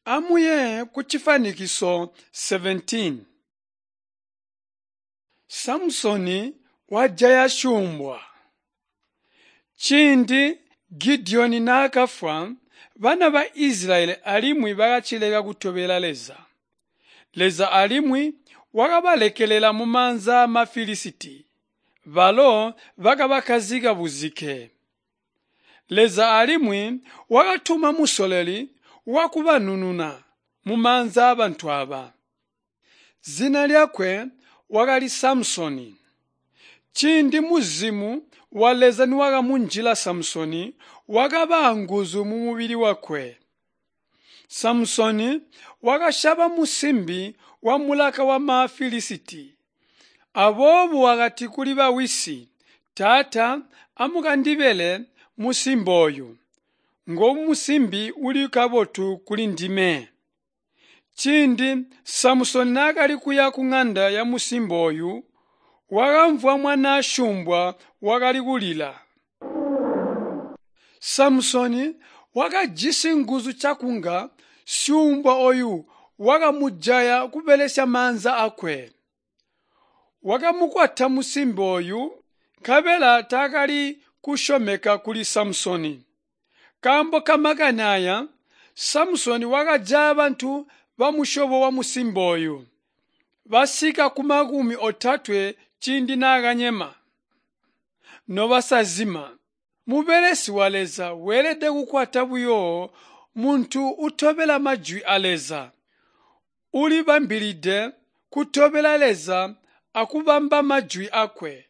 Amuye kucifwanikiso 17. Samusoni wajaya syuumbwa. Ciindi Gidiyoni naakafwa, bana ba Isilayeli alimwi bakacileka kutobela Leza. Leza alimwi wakabalekelela mumaanza aa Filisiti, balo bakabakkazika buzike. Leza alimwi wakatuma musololi wakubanununa mumaanza aabantu aaba. Zina lyakwe wakali Samusoni. Ciindi muzimu wa Leza niwakamunjila Samusoni, wakaba anguzu mumubili wakwe. Samusoni wakasyaba musimbi wamulaka wama Filisiti. Aboobo wakati kuli bawisi, Taata amukandibele musimbi ooyu. Ngomusimbi uli kabotu kulindime. Ciindi Samusoni naakali kuya kuŋanda yamusimbi ooyu, wakamvwa mwanaa syuumbwa wakali kulila. Samusoni wakajisi nguzu cakunga syuumbwa ooyu wakamujaya kubelesya maanza aakwe. Wakamukwata musimbi ooyu, nkabela taakali kusyomeka kuli Samusoni. Nkaambo kamakani aaya, Samusoni wakajaya bantu bamusyobo wamusimbi ooyu, basika kumakumi otatwe ciindi naakanyema. Nobasazima, mubelesi wa Leza weelede kukwata buyo muntu utobela majwi a Leza, ulibambilide kutobela Leza akubamba majwi aakwe.